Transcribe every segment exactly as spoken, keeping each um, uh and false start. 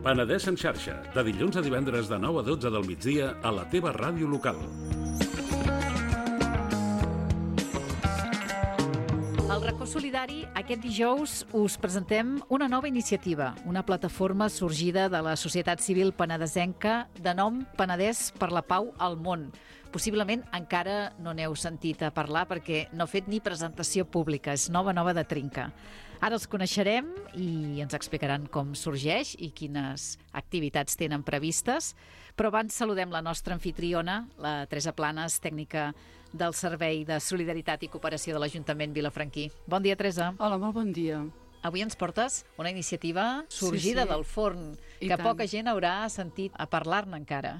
Penedès en xarxa, de dilluns a divendres de nou a dotze del migdia a la teva ràdio local. Al Racó Solidari, aquest dijous us presentem una nova iniciativa, una plataforma sorgida de la societat civil penedesenca de nom Penedès per la Pau al Món. Possiblement encara no n'heu sentit a parlar perquè no ha fet ni presentació pública, és nova, nova de trinca. Ara els coneixerem i ens explicaran com sorgeix i quines activitats tenen previstes, però abans saludem la nostra anfitriona, la Teresa Planes, tècnica del Servei de Solidaritat i Cooperació de l'Ajuntament Vilafranquí. Bon dia, Teresa. Hola, molt bon dia. Avui ens portes una iniciativa sorgida sí, sí. del forn, I que tant. Poca gent haurà sentit a parlar-ne encara.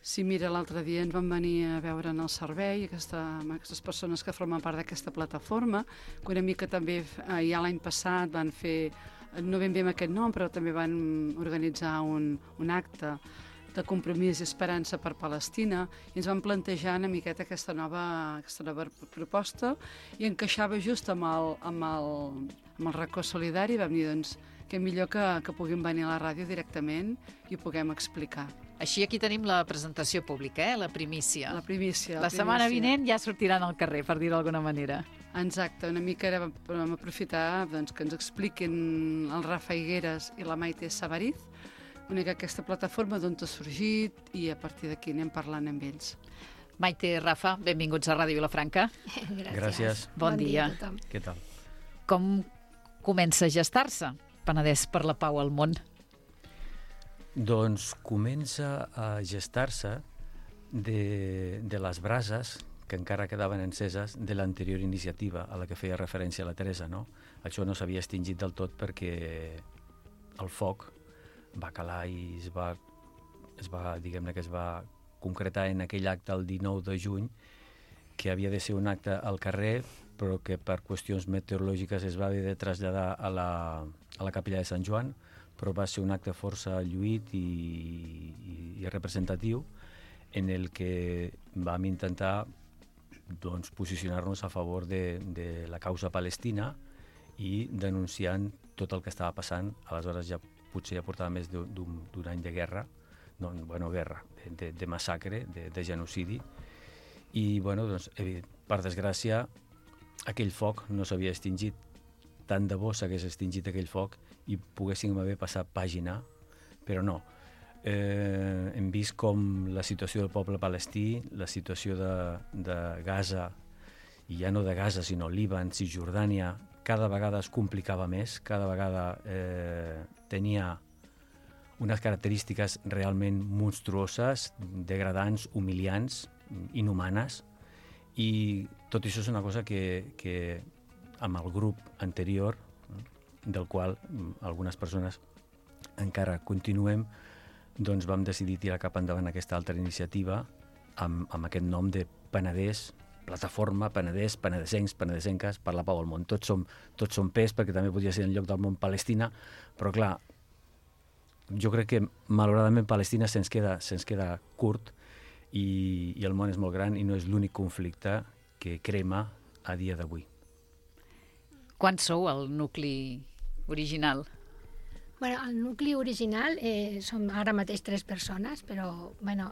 Sí, mira, l'altre dia ens van venir a veure en el servei aquesta, aquestes persones que formen part d'aquesta plataforma, que una mica també eh, ja l'any passat van fer, no ben bé amb aquest nom, però també van organitzar un, un acte de compromís i esperança per Palestina i ens van plantejar una miqueta aquesta nova, aquesta nova proposta i encaixava just amb el, amb el, amb el Racó Solidari. Vam dir, doncs, que millor que, que puguin venir a la ràdio directament i ho puguem explicar. Així aquí tenim la presentació pública, eh? la primícia. La primícia. La, la setmana vinent ja sortiran al carrer, per dir-ho d'alguna manera. Exacte, una mica era, vam aprofitar doncs, que ens expliquin el Rafa Higueras i la Maite Savariz, una mica aquesta plataforma d'on ha sorgit i a partir d'aquí anem parlant amb ells. Maite, Rafa, benvinguts a Ràdio Vilafranca. Gràcies. Gràcies. Bon, bon dia. dia Què tal? Com comença a gestar-se Penedès per la Pau al Món? Doncs comença a gestar-se de, de les brases que encara quedaven enceses de l'anterior iniciativa a la que feia referència la Teresa, no? Això no s'havia extingit del tot perquè el foc va calar i es va, es va, diguem-ne que es va concretar en aquell acte el dinou de juny, que havia de ser un acte al carrer, però que per qüestions meteorològiques es va haver de traslladar a la, a la capella de Sant Joan, però va ser un acte força lluït i, i, i representatiu en el que vam intentar doncs, posicionar-nos a favor de, de la causa palestina i denunciant tot el que estava passant. Aleshores ja potser ja portava més d'un any de guerra, no, bueno, guerra, de, de, de massacre, de, de genocidi, i bueno, doncs, per desgràcia aquell foc no s'havia extingit. Tant de bo s'hagués extingit aquell foc i poguéssim haver passat pàgina, però no. Eh, hem vist com la situació del poble palestí, la situació de, de Gaza, i ja no de Gaza, sinó Líban, Cisjordània, cada vegada es complicava més, cada vegada eh, tenia unes característiques realment monstruoses, degradants, humiliants, inhumanes, i tot això és una cosa que, que amb el grup anterior, del qual algunes persones encara continuem, doncs vam decidir tirar cap endavant aquesta altra iniciativa amb, amb aquest nom de Penedès, plataforma Penedès, penedesencs, penedesenques per la Pau al Món. Tots som, tots som pes, perquè també podria ser en lloc del món Palestina, però clar, jo crec que malauradament Palestina se'ns queda, se'ns queda curt i, i el món és molt gran i no és l'únic conflicte que crema a dia d'avui. Quants sou el nucli original? Bueno, el nucli original eh, som ara mateix tres persones, però bueno,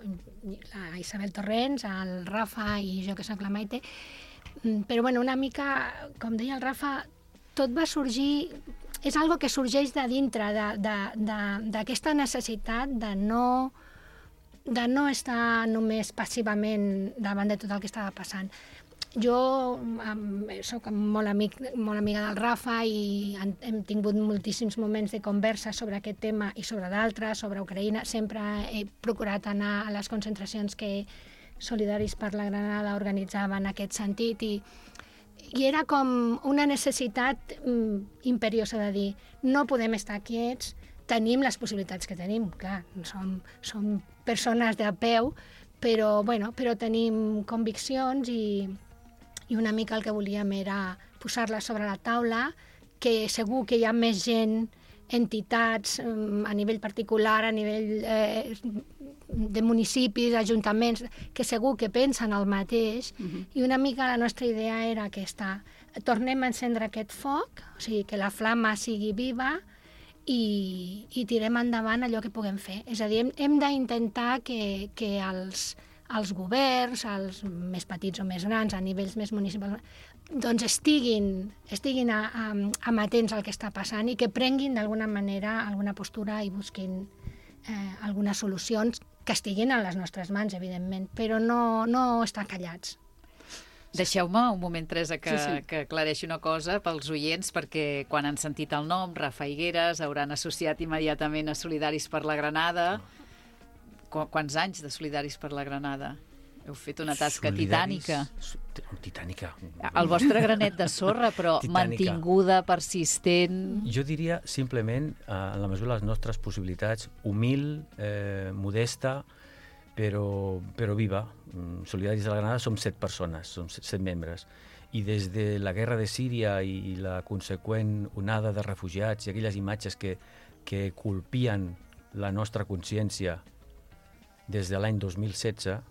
la Isabel Torrents, el Rafa i jo que soc la Maite, però bueno, una mica, com deia el Rafa, tot va sorgir, és algo que sorgeix de dintre d'aquesta necessitat de no, de no estar només passivament davant de tot el que estava passant. Jo um, soc molt, amic, molt amiga del Rafa i hem, hem tingut moltíssims moments de conversa sobre aquest tema i sobre d'altres, sobre Ucraïna. Sempre he procurat anar a les concentracions que Solidaris per la Granada organitzava en aquest sentit i, i era com una necessitat um, imperiosa de dir no podem estar quiets, tenim les possibilitats que tenim, clar, som, som persones de a peu, però, bueno, però tenim conviccions i i una mica el que volíem era posar-la sobre la taula, que segur que hi ha més gent, entitats, a nivell particular, a nivell eh, de municipis, ajuntaments, que segur que pensen el mateix, uh-huh. I una mica la nostra idea era aquesta. Tornem a encendre aquest foc, o sigui, que la flama sigui viva i, i tirem endavant allò que puguem fer. És a dir, hem, hem d'intentar que, que els, els governs, els més petits o més grans, a nivells més municipals, doncs estiguin, estiguin a, a, amatents al que està passant i que prenguin d'alguna manera alguna postura i busquin eh, algunes solucions que estiguin a les nostres mans, evidentment, però no, no estar callats. Deixeu-me un moment, Teresa, que, sí, sí. que aclareixi una cosa pels oients, perquè quan han sentit el nom, Rafa Higueras, hauran associat immediatament a Solidaris per la Granada. Qu Quants anys de Solidaris per la Granada? Heu fet una tasca Solidaris, titànica. Titànica. El vostre granet de sorra, però Titànica. Mantinguda, persistent... Jo diria simplement, eh, en la mesura de les nostres possibilitats, humil, eh, modesta, però, però viva. Solidaris de la Granada som set persones, som set membres. I des de la guerra de Síria i la conseqüent onada de refugiats i aquelles imatges que, que colpien la nostra consciència des de l'any dos mil setze,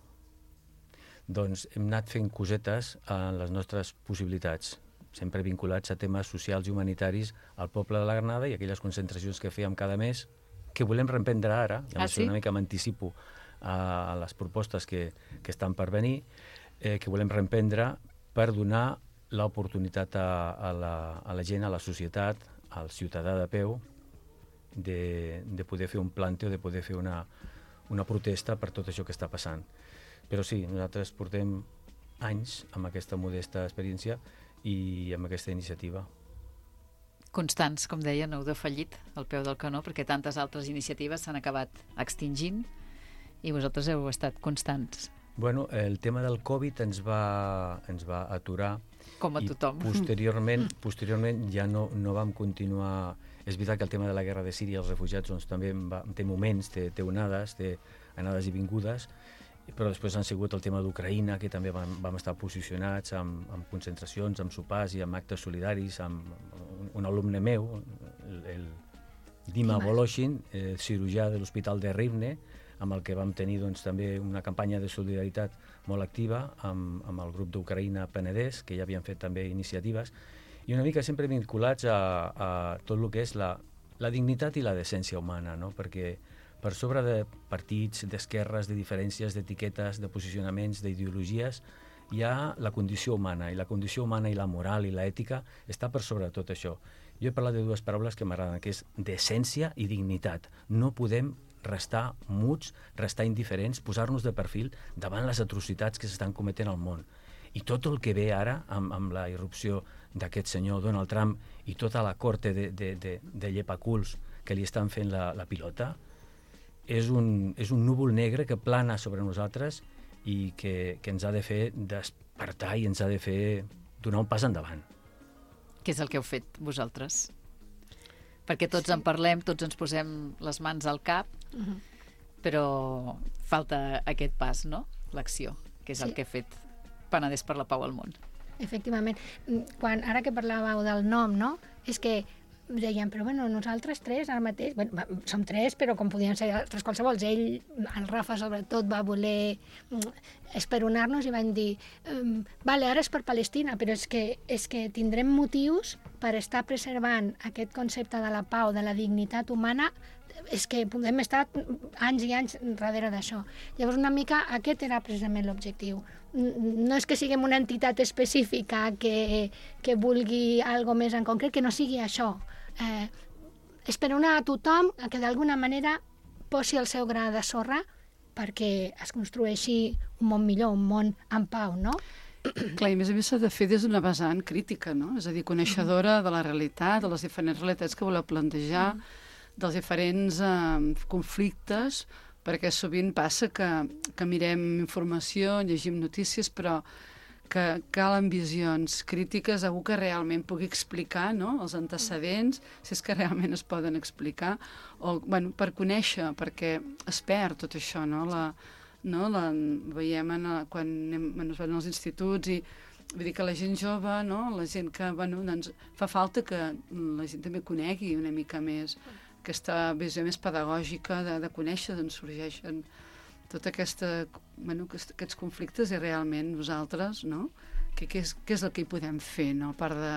doncs hem anat fent cosetes en les nostres possibilitats, sempre vinculats a temes socials i humanitaris al poble de la Granada i aquelles concentracions que fèiem cada mes, que volem reemprendre ara, i Ah, sí? una mica m'anticipo a les propostes que, que estan per venir, eh, que volem reemprendre per donar l'oportunitat a, a, la, a la gent, a la societat, al ciutadà de peu, de, de poder fer un plante o de poder fer una, una protesta per tot això que està passant. Però sí, nosaltres portem anys amb aquesta modesta experiència i amb aquesta iniciativa. Constants, com deia, no heu defallit al peu del canó, perquè tantes altres iniciatives s'han acabat extingint i vosaltres heu estat constants. Bueno, el tema del Covid ens va, ens va aturar. Com a tothom. I posteriorment, posteriorment ja no, no vam continuar... És veritat que el tema de la guerra de Síria i els refugiats doncs, també va, té moments, té, té onades, té anades i vingudes, però després han sigut el tema d'Ucraïna, que també vam, vam estar posicionats amb, amb concentracions, amb sopars i amb actes solidaris, amb un, un alumne meu, el, el Dima Voloshin, eh, cirurgià de l'Hospital de Rivne, amb el que vam tenir doncs, també una campanya de solidaritat molt activa amb, amb el grup d'Ucraïna Penedès, que ja havien fet també iniciatives, i una mica sempre vinculats a, a tot el que és la, la dignitat i la decència humana, no? Perquè per sobre de partits, d'esquerres, de diferències, d'etiquetes, de posicionaments, d'ideologies, hi ha la condició humana, i la condició humana i la moral i l'ètica està per sobre de tot això. Jo he parlat de dues paraules que m'agraden, que és decència i dignitat. No podem restar muts, restar indiferents, posar-nos de perfil davant les atrocitats que s'estan cometent al món. I tot el que ve ara, amb, amb la irrupció d'aquest senyor Donald Trump i tota la corte de, de, de, de llepaculs que li estan fent la, la pilota, és un, és un núvol negre que plana sobre nosaltres i que, que ens ha de fer despertar i ens ha de fer donar un pas endavant. Què és el que heu fet vosaltres? Perquè tots sí. en parlem, tots ens posem les mans al cap, uh-huh. però falta aquest pas, no? L'acció, que és sí. el que ha fet Penedès per la Pau al món. Efectivament. Quan, ara que parlàveu del nom, no? És que deien, però bueno, nosaltres tres ara mateix, bueno, som tres, però com podien ser altres qualsevols. Ell, el Rafa sobretot, va voler esperonar-nos i van dir um, vale, ara és per Palestina, però és que, és que tindrem motius per estar preservant aquest concepte de la pau, de la dignitat humana, és que podem estar anys i anys darrere d'això. Llavors, una mica, aquest era precisament l'objectiu. No és que siguem una entitat específica que, que vulgui algo més en concret, que no sigui això. Eh, esperonar a tothom que d'alguna manera posi el seu gra de sorra perquè es construeixi un món millor, un món en pau, no? Clar, i a més a més s'ha de fer des d'una vessant crítica, no? És a dir, coneixedora de la realitat, de les diferents realitats que voleu plantejar, dels diferents eh, conflictes, perquè sovint passa que, que mirem informació, llegim notícies, però que calen visions crítiques, algú que realment pugui explicar, no?, els antecedents, si és que realment es poden explicar, o bueno, per conèixer, perquè es perd tot això, no? La, no? La, veiem en, quan anem, bueno, es van als instituts i vull dir que la gent jove, no? La gent que, bueno, doncs fa falta que la gent també conegui una mica més aquesta visió més pedagògica de, de conèixer d'on sorgeixen tota aquesta, bueno, aquests conflictes i realment nosaltres, no? Què que és, que és el que hi podem fer, no? A part de,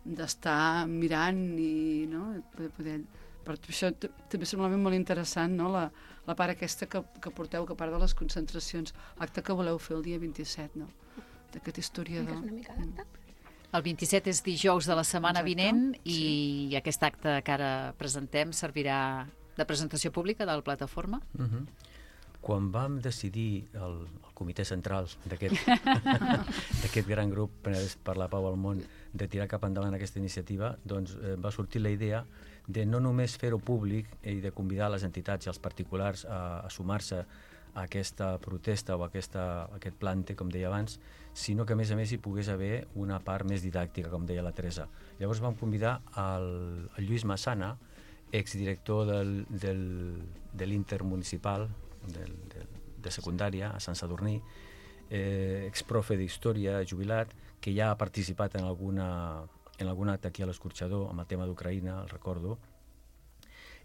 d'estar mirant i no? poder, poder Per això també semblava molt interessant, no?, la, la part aquesta que, que porteu, que a part de les concentracions, l'acte que voleu fer el dia vint-i-set, no?, d'aquest historiador. És una mica d'acte. El vint-i-set és dijous de la setmana Exacte, vinent i sí. aquest acte que ara presentem servirà de presentació pública de la plataforma. Uh-huh. Quan vam decidir, el, el comitè central d'aquest d'aquest gran grup Penedès per la Pau al Món, de tirar cap endavant aquesta iniciativa, doncs eh, va sortir la idea de no només fer-ho públic i de convidar les entitats i els particulars a, a sumar-se a aquesta protesta o a aquesta, a aquest plante, com deia abans, sinó que a més a més hi pogués haver una part més didàctica, com deia la Teresa. Llavors vam convidar el, el Lluís Massana, exdirector del, del, de l'Intermunicipal del, del, de secundària a Sant Sadurní, eh, exprofe d'història, jubilat, que ja ha participat en alguna, en algun acte aquí a l'Escorxador amb el tema d'Ucraïna, el recordo,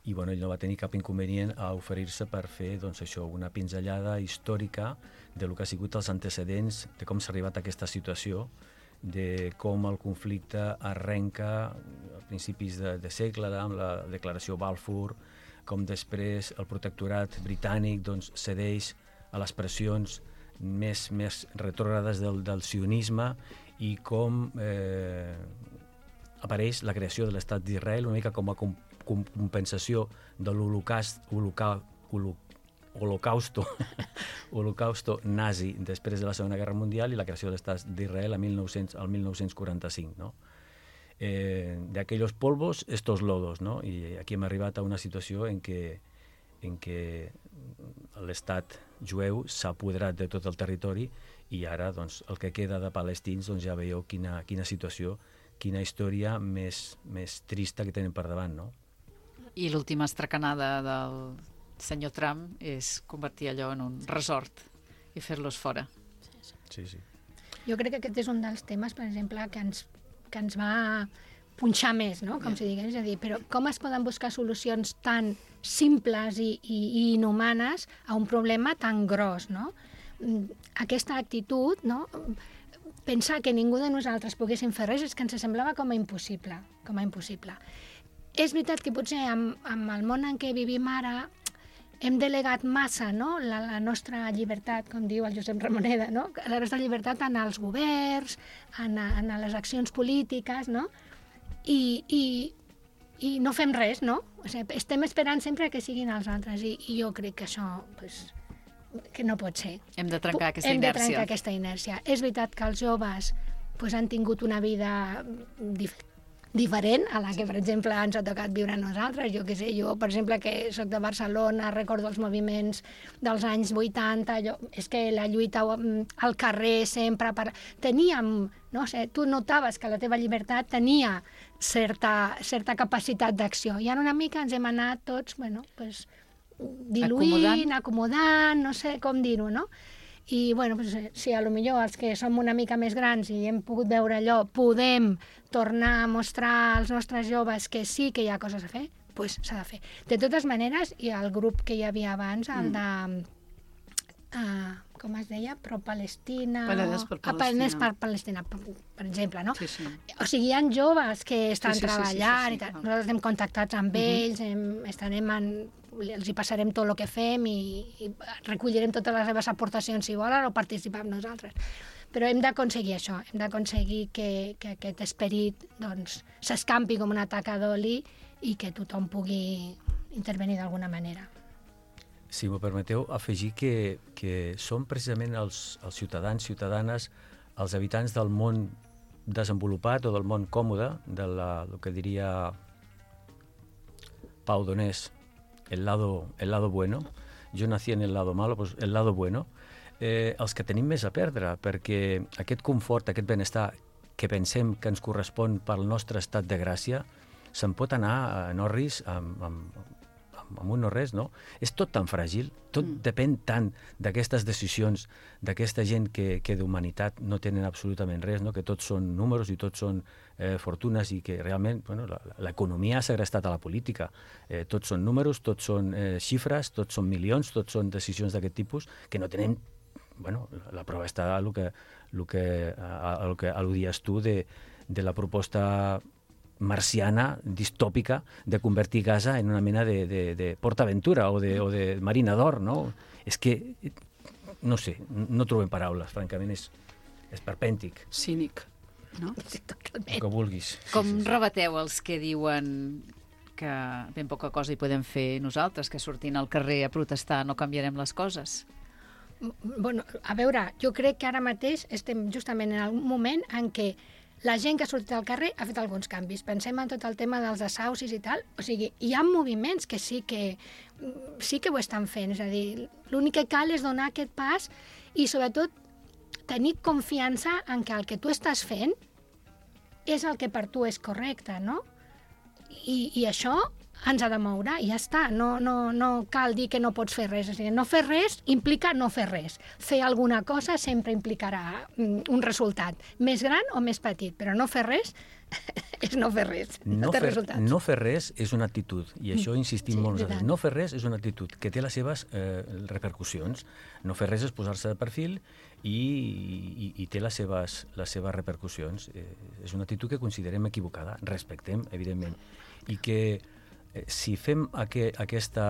i bueno, ell no va tenir cap inconvenient a oferir-se per fer doncs, això, una pinzellada històrica de lo que ha sigut els antecedents, de com s'ha arribat a aquesta situació, de com el conflicte arrenca a principis de, de segle amb la declaració Balfour, com després el protectorat britànic doncs, cedeix a les pressions més, més retrògrades del, del sionisme i com eh, apareix la creació de l'estat d'Israel una mica com a com, com compensació de l'holocaust holoca, holo, holocausto holocausto nazi després de la Segona Guerra Mundial i la creació de l'estat d'Israel el mil nou-cents quaranta-cinc, no? Eh, de aquellos polvos, estos lodos, no? I aquí hem arribat a una situació en què, en què l'estat jueu s'ha apoderat de tot el territori i ara doncs, el que queda de palestins doncs, ja veieu quina, quina situació, quina història més, més trista que tenen per davant, no? I l'última estracanada del senyor Trump és convertir allò en un resort i fer-los fora. Sí, sí. Jo crec que aquest és un dels temes, per exemple, que ens, que ens va punxar més, no? Com yeah. si digués, és a dir, però com es poden buscar solucions tan simples i, i, i inhumanes a un problema tan gros, no? Aquesta actitud, no? Pensar que ningú de nosaltres poguéssim fer res és que ens semblava com a impossible, com a impossible. És veritat que potser amb, amb el món en què vivim ara hem delegat massa, no? la, la nostra llibertat, com diu el Josep Ramoneda, no? La nostra llibertat en els governs, en, en les accions polítiques, no? I, i, i no fem res, no? O sigui, estem esperant sempre que siguin els altres i, i jo crec que això pues, que no pot ser. Hem de trencar aquesta hem inèrcia. Hem de trencar aquesta inèrcia. És veritat que els joves pues, han tingut una vida dif diferent a la que, per exemple, ens ha tocat viure a nosaltres. Jo què sé, jo, per exemple, que soc de Barcelona, recordo els moviments dels anys vuitanta, allò, és que la lluita al carrer sempre... Per... Teníem, no sé, tu notaves que la teva llibertat tenia certa, certa capacitat d'acció. I ara una mica ens hem anat tots, bueno, pues, diluint, acomodant. acomodant, no sé com dir-ho, no? I, bueno, pues, si a lo millor els que som una mica més grans i hem pogut veure allò, podem tornar a mostrar als nostres joves que sí que hi ha coses a fer, doncs pues, s'ha de fer. De totes maneres, i el grup que hi havia abans, el de... Uh, com es deia? Pro-Palestina... Penedès per Palestina. Penedès per Palestina, per, per exemple, no? Sí, sí. O sigui, hi ha joves que estan sí, sí, treballant sí, sí, sí, i tal. sí. Nosaltres estem contactats amb uh-huh. ells, hem, estarem en... els hi passarem tot el que fem i, i recollirem totes les seves aportacions si volen o participar amb nosaltres. Però hem d'aconseguir això, hem d'aconseguir que, que aquest esperit doncs, s'escampi com una taca d'oli i que tothom pugui intervenir d'alguna manera. Si m'ho permeteu, afegir que, que són precisament els, els ciutadans, ciutadanes, els habitants del món desenvolupat o del món còmode, de la, el que diria Pau Donés, el lado, el lado bueno. Jo nací en el lado malo, pues el lado bueno. Eh, els que tenim més a perdre, perquè aquest confort, aquest benestar que pensem que ens correspon pel nostre estat de gràcia, se'n pot anar a Norris amb, amb, amb un no res, no? És tot tan fràgil, tot mm. depèn tant d'aquestes decisions, d'aquesta gent que, que d'humanitat no tenen absolutament res, no? Que tots són números i tots són eh, fortunes i que realment bueno, l'economia ha segrestat a la política. Eh, tots són números, tots són eh, xifres, tots són milions, tots són decisions d'aquest tipus que no tenen... Bueno, la prova està a el que, el que, a, a, a al·ludies tu de, de la proposta marciana, distòpica, de convertir Gaza en una mena de, de, de PortAventura o de, o de Marina d'Or, no? És que, no sé, no trobem paraules, francament, és, és perpèntic. Cínic, no? Sí, El totalment. que vulguis. Com rebateu els que diuen que ben poca cosa hi podem fer nosaltres, que sortint al carrer a protestar no canviarem les coses? Bueno, a veure, jo crec que ara mateix estem justament en un moment en què la gent que ha sortit al carrer ha fet alguns canvis. Pensem en tot el tema dels desaucis i tal. O sigui, hi ha moviments que sí que, sí que ho estan fent. És a dir, l'únic que cal és donar aquest pas i, sobretot, tenir confiança en que el que tu estàs fent és el que per tu és correcte, no? I, i això ens ha de moure i ja està. No, no, no cal dir que no pots fer res. O sigui, no fer res implica no fer res. Fer alguna cosa sempre implicarà un resultat, més gran o més petit, però no fer res és no fer res. No, No té fer, resultats. no fer res és una actitud, i això insistim Sí, molt veritat. nosaltres. No fer res és una actitud que té les seves eh, repercussions. No fer res és posar-se de perfil i, i, i té les seves, les seves repercussions. Eh, és una actitud que considerem equivocada, respectem, evidentment, i que eh, si fem aqu aquesta,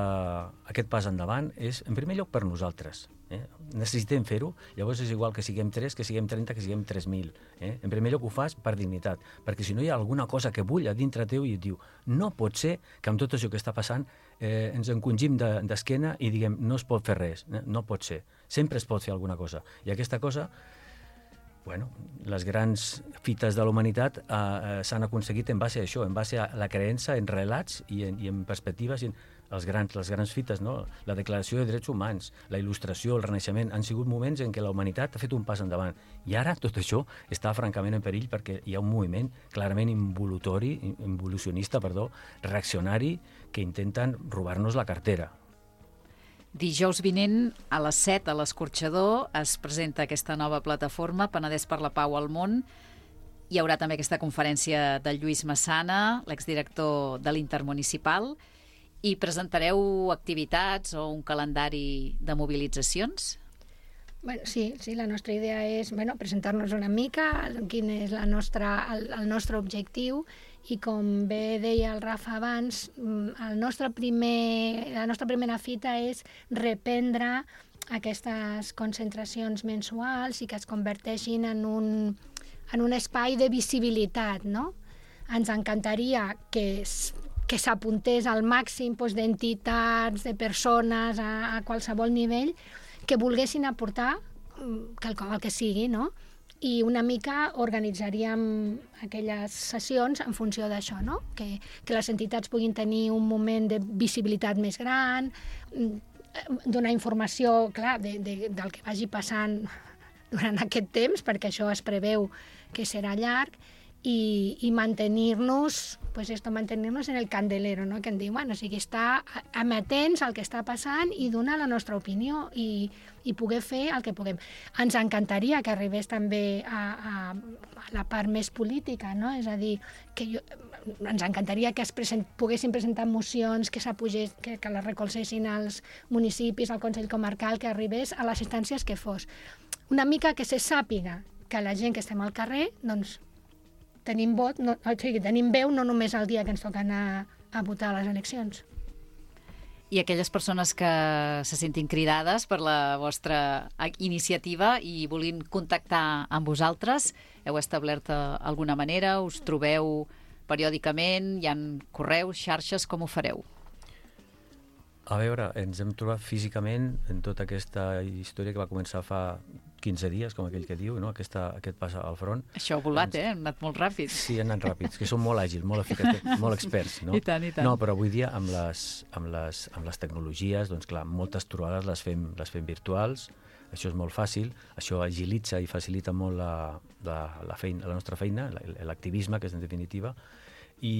aquest pas endavant és, en primer lloc, per nosaltres. Eh? Necessitem fer-ho, llavors és igual que siguem tres, que siguem trenta, que siguem tres mil. Eh? En primer lloc ho fas per dignitat, perquè si no hi ha alguna cosa que bull a dintre teu i et diu no pot ser que amb tot això que està passant eh, ens encongim d'esquena de, i diguem no es pot fer res, eh? No pot ser. Sempre es pot fer alguna cosa. I aquesta cosa, bueno, les grans fites de la humanitat eh, eh, s'han aconseguit en base a això, en base a la creença en relats i en, i en perspectives, i en els grans, les grans fites, no? La Declaració de Drets Humans, la Il·lustració, el Renaixement, han sigut moments en què la humanitat ha fet un pas endavant. I ara tot això està francament en perill perquè hi ha un moviment clarament involutori, involucionista, perdó, reaccionari, que intenten robar-nos la cartera. Dijous vinent, a les set, a l'Escorxador, es presenta aquesta nova plataforma, Penedès per la Pau al Món. Hi haurà també aquesta conferència del Lluís Massana, l'exdirector de l'Intermunicipal, i presentareu activitats o un calendari de mobilitzacions? Bueno, sí, sí, la nostra idea és bueno, presentar-nos una mica, quin és la nostra, el, el nostre objectiu, i com bé deia el Rafa abans, el nostre primer, la nostra primera fita és reprendre aquestes concentracions mensuals i que es converteixin en un, en un espai de visibilitat, no? Ens encantaria que que s'apuntés al màxim doncs, d'entitats, de persones, a, a qualsevol nivell, que volguessin aportar quelcom el que sigui, no? I una mica organitzaríem aquelles sessions en funció d'això, no? Que, que les entitats puguin tenir un moment de visibilitat més gran, donar informació, clar, de, de, del que vagi passant durant aquest temps, perquè això es preveu que serà llarg, i, i mantenir-nos pues esto, mantenir-nos en el candelero, no? Que en diu, bueno, o sigui, estar amatents al que està passant i donar la nostra opinió i, i poder fer el que puguem. Ens encantaria que arribés també a, a, a la part més política, no? És a dir, que jo, ens encantaria que es present, poguessin presentar mocions, que s'apugés, que, que les recolzessin als municipis, al Consell Comarcal, que arribés a les instàncies que fos. Una mica que se sàpiga que la gent que estem al carrer, doncs, tenim vot, no, o sigui, tenim veu no només el dia que ens toca anar a votar a les eleccions. I aquelles persones que se sentin cridades per la vostra iniciativa i volin contactar amb vosaltres, heu establert alguna manera, us trobeu periòdicament, hi ha correus, xarxes, com ho fareu? A veure, ens hem trobat físicament en tota aquesta història que va començar fa quinze dies, com aquell que diu, no? Aquesta, aquest pas al front. Això ha volat, ens... eh? Han anat molt ràpids. Sí, han anat ràpids, que són molt àgils, molt eficaços, molt experts, no? I tant, i tant. No, però avui dia amb les, amb les, amb les tecnologies, doncs clar, moltes trobades les fem, les fem virtuals, això és molt fàcil, això agilitza i facilita molt la, la, la, feina, la nostra feina, l'activisme, que és en definitiva, i...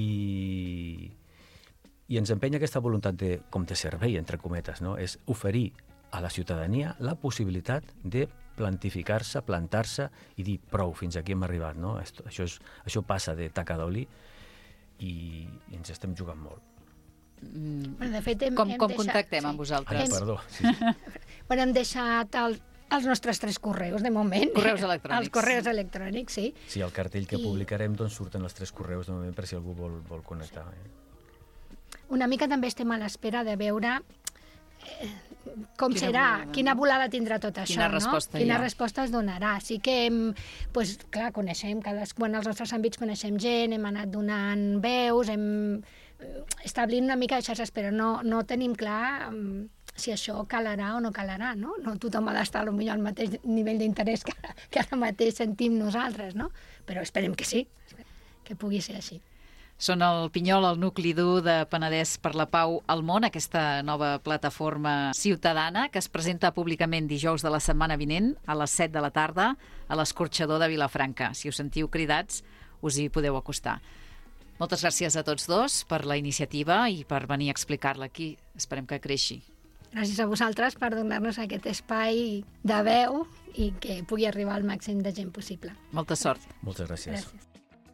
i ens empenya aquesta voluntat de, com de servei, entre cometes, no? És oferir a la ciutadania la possibilitat de plantificar-se, plantar-se i dir prou, fins aquí hem arribat, no? Això, és, això passa de taca d'oli i, i ens estem jugant molt. Mm. Bueno, de fet, hem, com hem com deixat, contactem sí. amb vosaltres? Ah, perdó. Sí, sí. Bueno, hem deixat el, Els nostres tres correus, de moment. Correus electrònics. Els correus electrònics, sí. Sí, el cartell que I- publicarem doncs surten els tres correus de moment per si algú vol, vol connectar. Eh? Una mica també estem a l'espera de veure eh, com Quina serà, volada, quina no? volada tindrà tot això, Quina no? resposta hi Quina ha. resposta es donarà. Sí que, hem, pues, clar, coneixem, cadascú en els nostres àmbits coneixem gent, hem anat donant veus, hem eh, establint una mica de xarxes, però no, no tenim clar mm, si això calarà o no calarà, no? No tothom ha d'estar potser al mateix nivell d'interès que, que ara mateix sentim nosaltres, no? Però esperem que sí, que pugui ser així. Són el Pinyol, el nucli dur de Penedès per la Pau al Món, aquesta nova plataforma ciutadana que es presenta públicament dijous de la setmana vinent a les set de la tarda a l'Escorxador de Vilafranca. Si us sentiu cridats, us hi podeu acostar. Moltes gràcies a tots dos per la iniciativa i per venir a explicar-la aquí. Esperem que creixi. Gràcies a vosaltres per donar-nos aquest espai de veu i que pugui arribar al màxim de gent possible. Molta sort. Moltes gràcies. Gràcies.